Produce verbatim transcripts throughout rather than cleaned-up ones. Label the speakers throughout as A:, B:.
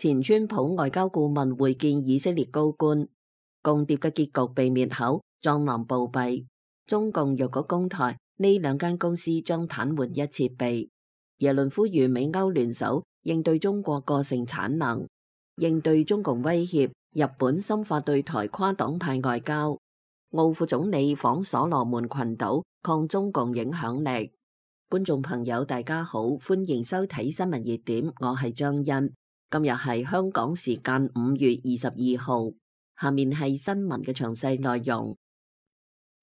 A: 前川普外交顧問會見以色列高官，共諜嘅結局被滅口，壯男暴斃。中共若果攻台，呢兩間公司將癱瘓一設備。耶倫呼籲美歐聯手應對中國過剩產能，應對中共威脅。日本深化對台跨黨派外交。澳副總理訪所羅門群島，抗中共影響力。觀眾朋友大家好，歡迎收睇新聞熱點，我係張欣。今日係香港時間五月二十二號，下面係新聞嘅詳細內容。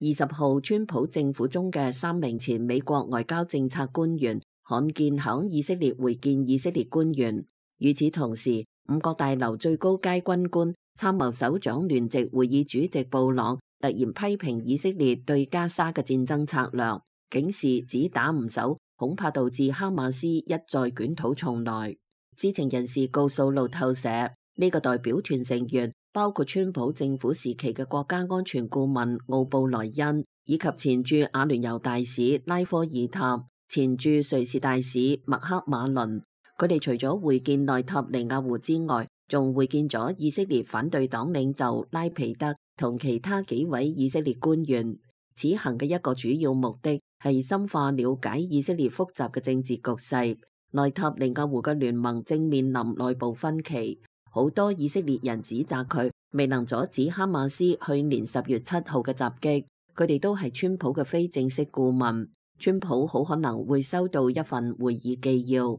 A: 二十號，川普政府中嘅三名前美國外交政策官員罕見響以色列會見以色列官員。與此同時，五角大樓最高階軍官、參謀首長聯席會議主席布朗突然批評以色列對加沙嘅戰爭策略，警示只打唔走，恐怕導致哈馬斯一再捲土重來。知情人士告訴路透社，呢、這個代表團成員包括川普政府時期嘅國家安全顧問奧布萊恩，以及前駐阿聯酋大使拉科爾塔、前駐瑞士大使麥克馬倫。佢哋除咗會見內塔尼亞胡之外，仲會見咗以色列反對黨領袖拉皮德同其他幾位以色列官員。此行嘅一個主要目的係深化了解以色列複雜嘅政治局勢。內塔尼亞胡嘅聯盟正面臨內部分歧，好多以色列人指責佢未能阻止哈馬斯去年十月七號嘅襲擊。佢哋都係川普嘅非正式顧問，川普好可能會收到一份會議紀要。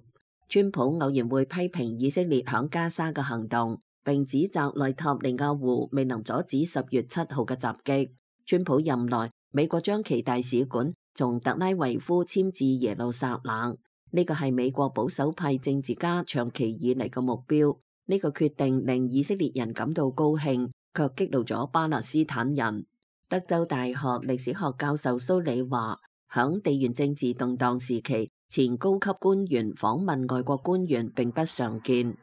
A: 川普偶然會批評以色列響加沙嘅行動，並指責內塔尼亞胡未能阻止十月七號嘅襲擊。川普任內，美國將其大使館從特拉維夫遷至耶路撒冷。呢個係美國保守派政治家長期以嚟嘅目標。呢個決定令以色列人感到高興，卻激怒咗巴勒斯坦人。德州大學歷史學教授蘇里話，響地緣政治動盪時期，前高級官員訪問外國官員並不常見。呢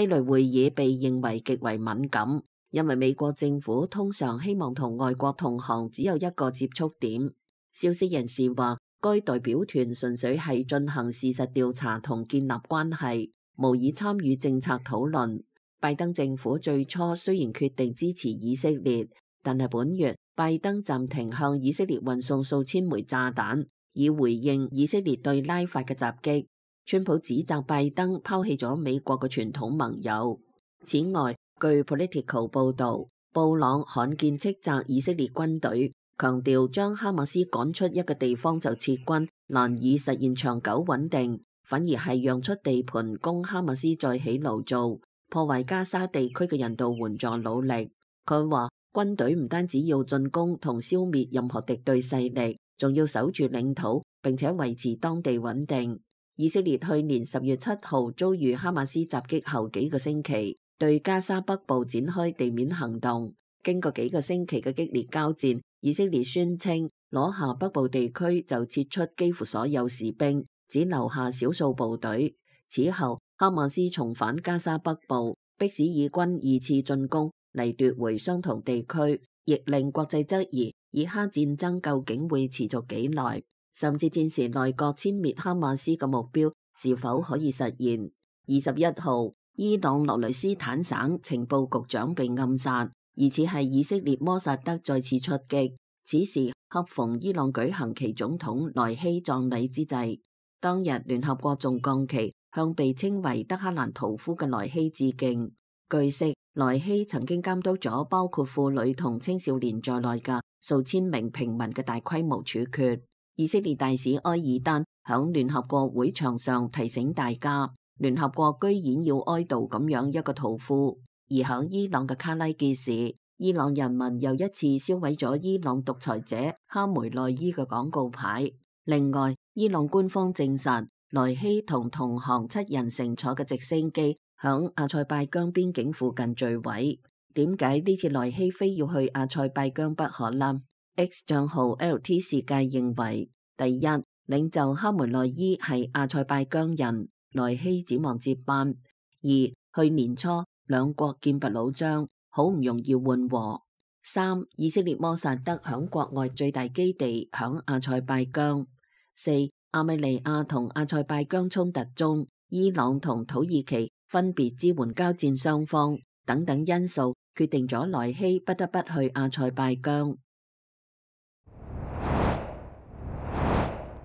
A: 類會議被認為極為敏感，因為美國政府通常希望同外國同行只有一個接觸點。消息人士話，該代表團純粹係進行事實調查同建立關係，無意參與政策討論。拜登政府最初雖然決定支持以色列，但係本月拜登暫停向以色列運送數千枚炸彈，以回應以色列對拉法嘅襲擊。川普指責拜登拋棄咗美國嘅傳統盟友。此外，據 Political 報導，布朗罕見斥責以色列軍隊，強調將哈馬斯趕出一個地方就撤軍，難以實現長久穩定，反而係讓出地盤供哈馬斯再起爐灶，破壞加沙地區嘅人道援助努力。佢話軍隊唔單止要進攻同消滅任何敵對勢力，仲要守住領土，並且維持當地穩定。以色列去年十月七號遭遇哈馬斯襲擊後幾個星期，對加沙北部展開地面行動。經過幾個星期嘅激烈交戰，以色列宣稱攞下北部地區就撤出幾乎所有士兵，只留下少數部隊。此後，哈馬斯重返加沙北部，迫使以軍二次進攻嚟奪回相同地區，亦令國際質疑以哈戰爭究竟會持續幾耐，甚至戰時內閣殲滅哈馬斯嘅目標是否可以實現。二十一號，伊朗羅雷斯坦省情報局長被暗殺，疑似係以色列摩薩德再次出擊。此時恰逢伊朗舉行其總統萊希葬禮之際，當日聯合國仲降旗向被稱為德黑蘭屠夫嘅萊希致敬。據悉，萊希曾經監督咗包括婦女同青少年在內嘅數千名平民嘅大規模處決。以色列大使埃爾丹響聯合國會場上提醒大家，聯合國居然要哀悼咁樣一個屠夫。而響伊朗嘅卡拉傑市，伊朗人民又一次燒毀咗伊朗獨裁者哈梅內伊嘅廣告牌。另外，伊朗官方證實，萊希同同行七人乘坐嘅直升機響阿塞拜疆邊境附近墜毀。點解呢次萊希非要去阿塞拜疆不可呢？ X 賬號 L T 世界認為，第一，領袖哈梅內伊係阿塞拜疆人，萊希指望接班；二，去年初兩國劍拔弩張，好唔容易緩和；三，以色列摩薩德響國外最大基地響阿塞拜疆；四，亞美尼亞同阿塞拜疆衝突中，伊朗同土耳其分別支援交戰雙方等等因素，決定咗萊希不得不去阿塞拜疆。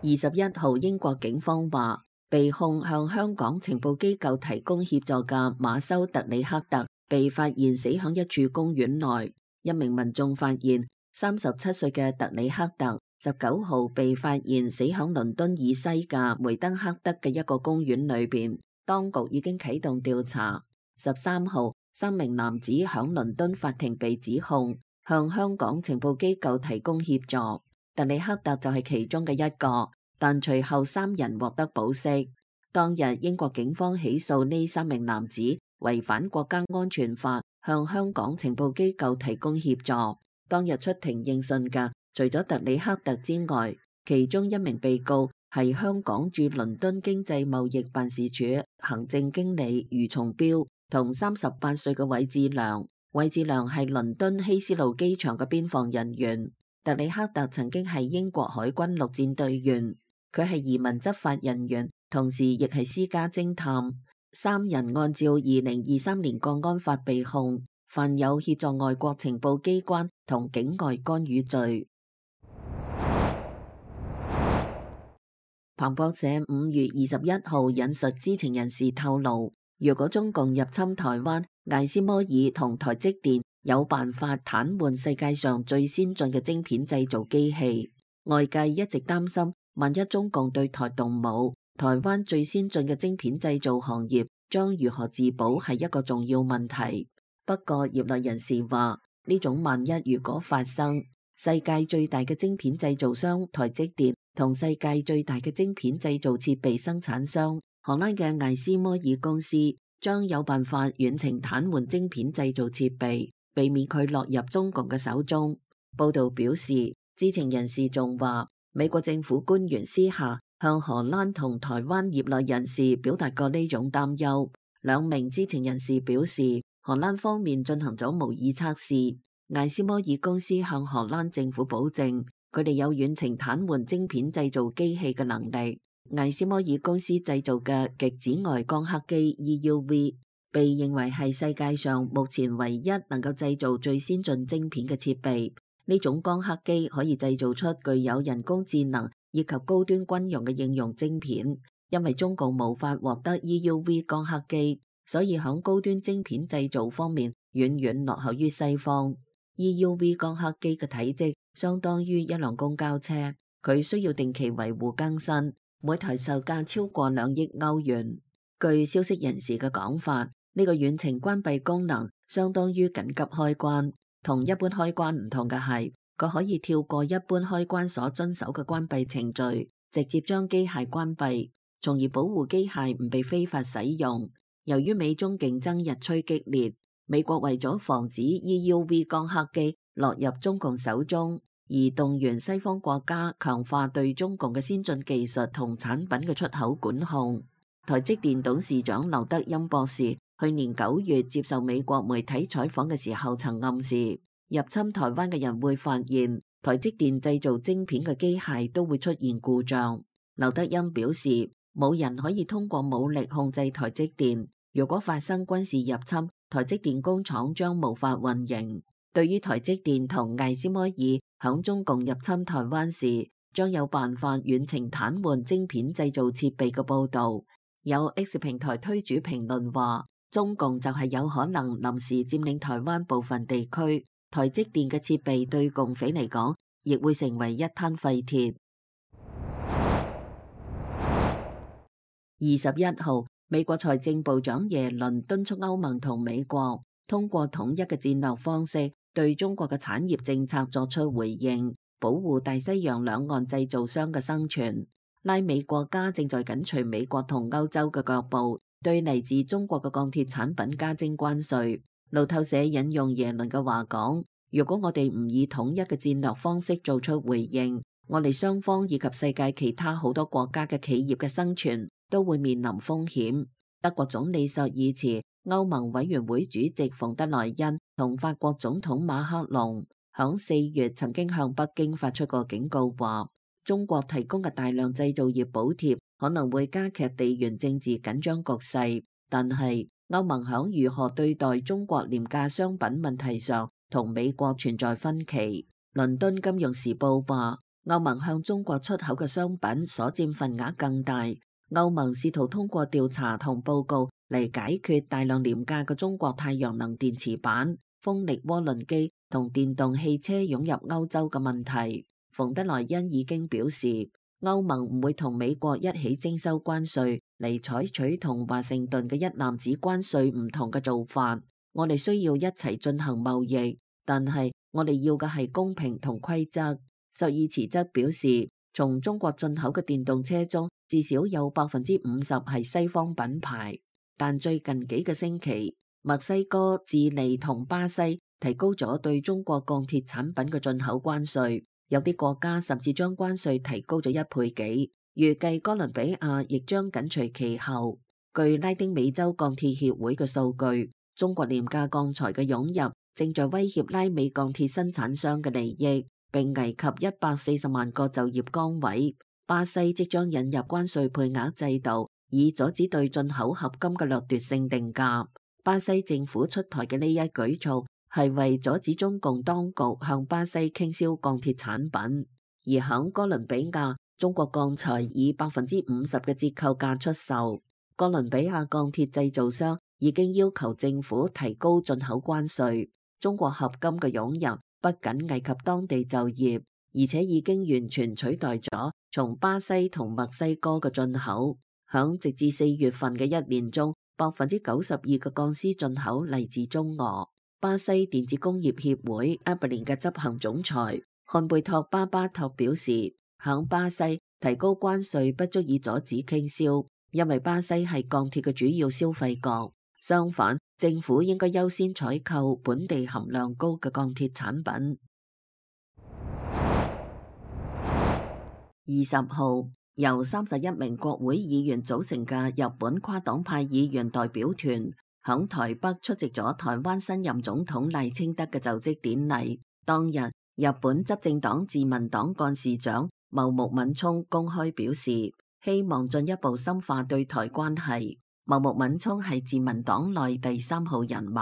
A: 二十一號，英國警方話，被控向香港情報機構提供協助嘅馬修特里克特被發現死響一處公園內。一名民眾發現三十七歲嘅特里克特十九號被發現死響倫敦以西嘅梅登克德嘅一個公園裏邊，當局已經啟動調查。十三號，三名男子響倫敦法庭被指控向香港情報機構提供協助，特里克特就係其中嘅一個，但隨後三人獲得保釋。當日英國警方起訴呢三名男子違反國家安全法，向香港情報機構提供協助。當日出庭應訊嘅，除咗特里克特之外，其中一名被告係香港駐倫敦經濟貿易辦事處行政經理余松標，同三十八歲嘅韋志良。韋志良係倫敦希斯路機場嘅邊防人員。特里克特曾經係英國海軍陸戰隊員，佢係移民執法人員，同時亦係私家偵探。三人按照二零二三年國安法被控，犯有協助外國情報機關同境外干預罪。彭博社五月二十一號引述知情人士透露，若果中共入侵台灣，艾斯摩爾同台積電有辦法癱瘓世界上最先進嘅晶片製造機器。外界一直擔心，萬一中共對台動武，台灣最先進嘅晶片製造行業將如何自保係一個重要問題。不過業內人士話，呢種萬一如果發生，世界最大嘅晶片製造商台積電同世界最大嘅晶片製造設備生產商荷蘭嘅艾斯摩爾公司將有辦法遠程癱瘓晶片製造設備，避免佢落入中共嘅手中。報道表示，知情人士仲話，美國政府官員私下向荷蘭同台灣業內人士表達過呢種擔憂。兩名知情人士表示，荷蘭方面進行咗模擬測試，艾斯摩爾公司向荷蘭政府保證，佢哋有遠程癱瘓晶片製造機器嘅能力。艾斯摩爾公司製造嘅極紫外光刻機 E U V 被認為係世界上目前唯一能夠製造最先進晶片嘅設備。呢種光刻機可以製造出具有人工智能以及高端軍用嘅應用晶片。因為中共無法獲得 E U V 光刻機，所以響高端晶片製造方面遠遠落後於西方。E U V 光刻機嘅體積相當於一輛公交車，佢需要定期維護更新，每台售價超過兩億歐元。據消息人士嘅講法，呢個遠程關閉功能相當於緊急開關，同一般開關唔同嘅係，佢可以跳過一般開關所遵守嘅關閉程序，直接將機械關閉，從而保護機械唔被非法使用。由於美中競爭日趨激烈，美國為咗防止 E U V 光刻機落入中共手中，而動員西方國家強化對中共嘅先進技術同產品嘅出口管控。台積電董事長劉德音博士去年九月接受美國媒體採訪嘅時候，曾暗示入侵台灣嘅人會發現台積電製造晶片嘅機械都會出現故障。劉德音表示，冇人可以通過武力控制台積電，如果發生軍事入侵，台積電工廠將無法運營。對於台積電同艾斯摩爾響中共入侵台灣時將有辦法遠程癱瘓晶片製造設備嘅報導，有 X 平台推主評論話，中共就係有可能臨時佔領台灣部分地區，台積電嘅設備對共匪嚟講亦會成為一灘廢鐵。二十一號，美國財政部長耶倫敦促歐盟同美國通過統一嘅戰略方式，對中國嘅產業政策作出回應，保護大西洋兩岸製造商嘅生存。拉美國家正在緊隨美國同歐洲嘅腳步，對嚟自中國嘅鋼鐵產品加徵關稅。路透社引用耶倫嘅話講，如果我哋唔以統一嘅戰略方式做出回應，我哋雙方以及世界其他好多國家嘅企業嘅生存都會面臨風險。德國總理朔爾茨、歐盟委員會主席馮德萊恩同法國總統馬克龍響四月曾經向北京發出過警告，話中國提供嘅大量製造業補貼可能會加劇地緣政治緊張局勢，但係歐盟響如何對待中國廉價商品問題上同美國存在分歧。倫敦金融時報話，歐盟向中國出口嘅商品所佔份額更大。歐盟試圖通過調查同報告嚟解決大量廉價嘅中國太陽能電池板、風力渦輪機同電動汽車湧入歐洲嘅問題。馮德萊恩已經表示，歐盟唔會同美國一起徵收關稅嚟採取同華盛頓嘅一籃子關稅唔同嘅做法。我哋需要一齊進行貿易，但係我哋要嘅係公平同規則。朔爾茨則表示，從中國進口嘅電動車中，至少有百分之五十係西方品牌。但最近幾個星期，墨西哥、智利同巴西提高咗對中國鋼鐵產品嘅進口關稅，有啲國家甚至將關稅提高咗一倍幾。預計哥倫比亞亦將緊隨其後。據拉丁美洲鋼鐵協會嘅數據，中國廉價鋼材嘅湧入正在威脅拉美鋼鐵生產商嘅利益，並危及一百四十萬個就業崗位。巴西即將引入關稅配額制度，以阻止對進口合金嘅掠奪性定價。巴西政府出台嘅呢一舉措係為阻止中共當局向巴西傾銷鋼鐵產品。而響哥倫比亞，中國鋼材以百分之五十嘅折扣價出售。哥倫比亞鋼鐵製造商已經要求政府提高進口關稅。中國合金嘅湧入不僅危及當地就業，而且已經完全取代咗從巴西同墨西哥嘅進口。響直至四月份嘅一年中，百分之九十二嘅鋼絲進口嚟自中俄。巴西電子工業協會 A B L I N 嘅執行總裁漢貝托巴巴托表示，響巴西提高關稅不足以阻止傾銷，因為巴西係鋼鐵嘅主要消費國。相反，政府應該優先採購本地含量高嘅鋼鐵產品。二十號，由三十一名國會議員組成嘅日本跨黨派議員代表團響台北出席咗台灣新任總統賴清德嘅就職典禮。當日，日本執政黨自民黨幹事長茂木敏充公開表示，希望進一步深化對台關係。茂木敏充係自民黨內第三號人物，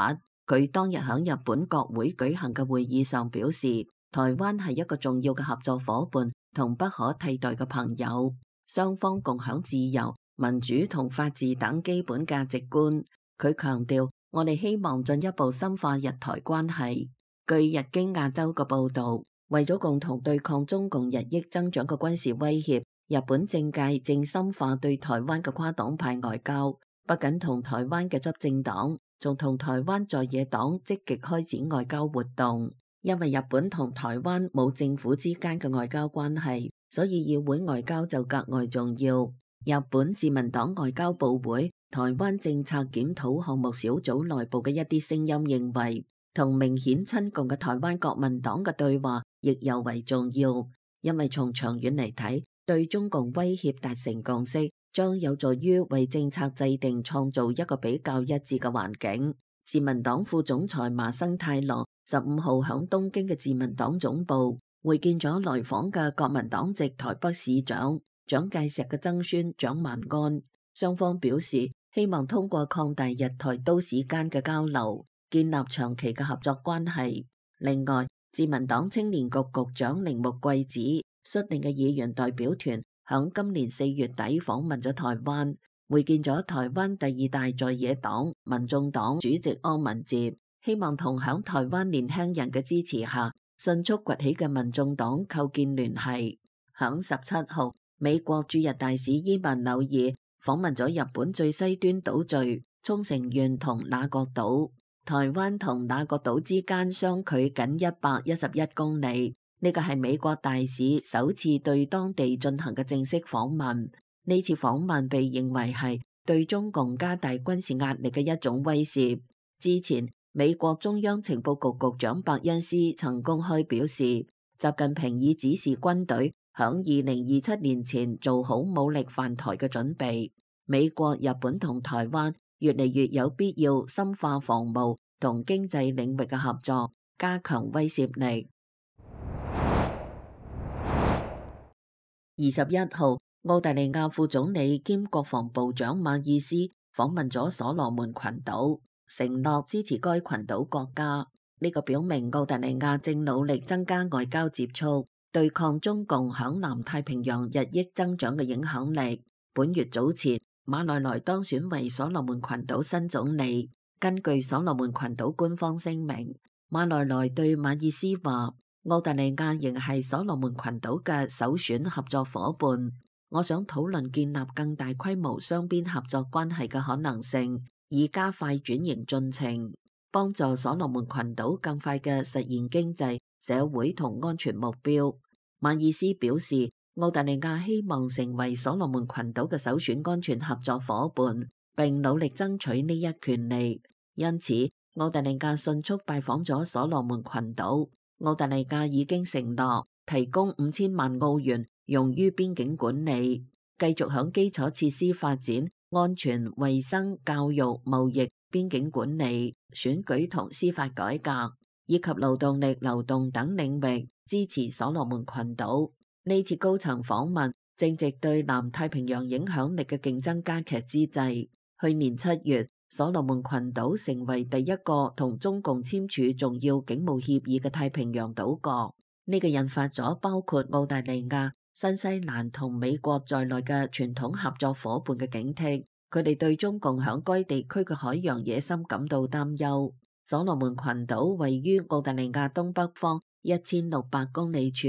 A: 佢當日響日本國會舉行嘅會議上表示，台灣係一個重要嘅合作夥伴同不可替代嘅朋友，雙方共享自由、民主同法治等基本價值觀。佢強調，我哋希望進一步深化日台關係。據日經亞洲嘅報道，為咗共同對抗中共日益增長嘅軍事威脅，日本政界正深化對台灣嘅跨黨派外交，不僅同台灣嘅執政黨，仲同台灣在野黨積極開展外交活動。因為日本同台灣冇政府之間嘅外交關係，所以議會外交就格外重要。日本自民黨外交部會台灣政策檢討項目小組內部嘅一啲聲音認為，同明顯親共嘅台灣國民黨嘅對話亦尤為重要，因為從長遠嚟睇，對中共威脅達成共識，將有助於為政策制定創造一個比較一致嘅環境。自民黨副總裁麻生太郎十五號響東京嘅自民黨總部會見咗來訪嘅國民黨籍台北市長蔣介石嘅曾孫蔣萬安，雙方表示希望通過擴大日台都市間嘅交流，建立長期嘅合作關係。另外，自民黨青年局局長鈴木貴子率領嘅議員代表團響今年四月底訪問咗台灣，會見咗台灣第二大在野黨民眾黨主席柯文哲，希望同響台灣年輕人嘅支持下迅速崛起嘅民眾黨構建聯繫。響十七號，美國駐日大使伊萬紐爾訪問咗日本最西端島嶼沖繩縣同那國島。台灣同那國島之間相距僅一百一十一公里，呢個係美國大使首次對當地進行嘅正式訪問。呢次訪問被認為係對中共加大軍事壓力嘅一種威懾。之前，美國中央情報局局長伯恩斯曾公開表示，習近平已指示軍隊響二零二七年前做好武力犯台嘅準備。美國、日本同台灣越嚟越有必要深化防務同經濟領域嘅合作，加強威懾力。二十一號，澳大利亞副總理兼國防部長馬爾斯訪問咗所羅門群島，承諾支持該群島國家。呢個表明澳大利亞正努力增加外交接觸，對抗中共響南太平洋日益增長嘅影響力。本月早前，馬來萊當選為所羅門群島新總理。根據所羅門群島官方聲明，馬來萊對馬爾斯話：澳大利亞仍係所羅門群島嘅首選合作夥伴。我想討論建立更大規模雙邊合作關係嘅可能性，以加快轉型進程，幫助所羅門群島更快嘅實現經濟、社會同安全目標。馬爾斯表示，澳大利亞希望成為所羅門群島嘅首選安全合作夥伴，並努力爭取呢一權利。因此，澳大利亞迅速拜訪咗所羅門群島。澳大利亞已經承諾提供五千萬澳元用於邊境管理，繼續響基礎設施發展、安全、衛生、教育、貿易、邊境管理、選舉同司法改革，以及勞動力流動等領域支持所羅門群島。呢次高層訪問正值對南太平洋影響力嘅競爭加劇之際。去年七月，所羅門群島成為第一個同中共簽署重要警務協議嘅太平洋島國。呢個引發咗包括澳大利亞、新西蘭同美國在內嘅傳統合作夥伴嘅警惕，佢哋對中共響該地區嘅海洋野心感到擔憂。所羅門群島位於澳大利亞東北方一千六百公里處，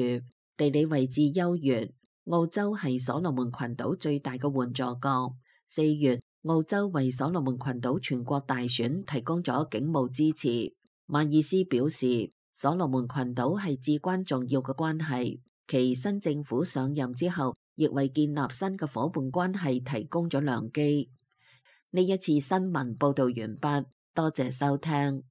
A: 地理位置優越。澳洲係所羅門群島最大嘅援助國。四月，澳洲為所羅門群島全國大選提供咗警務支持。馬爾斯表示，所羅門群島係至關重要嘅關係，其新政府上任之後，亦為建立新嘅夥伴關係提供咗良機。呢一次新聞報道完畢，多謝收聽。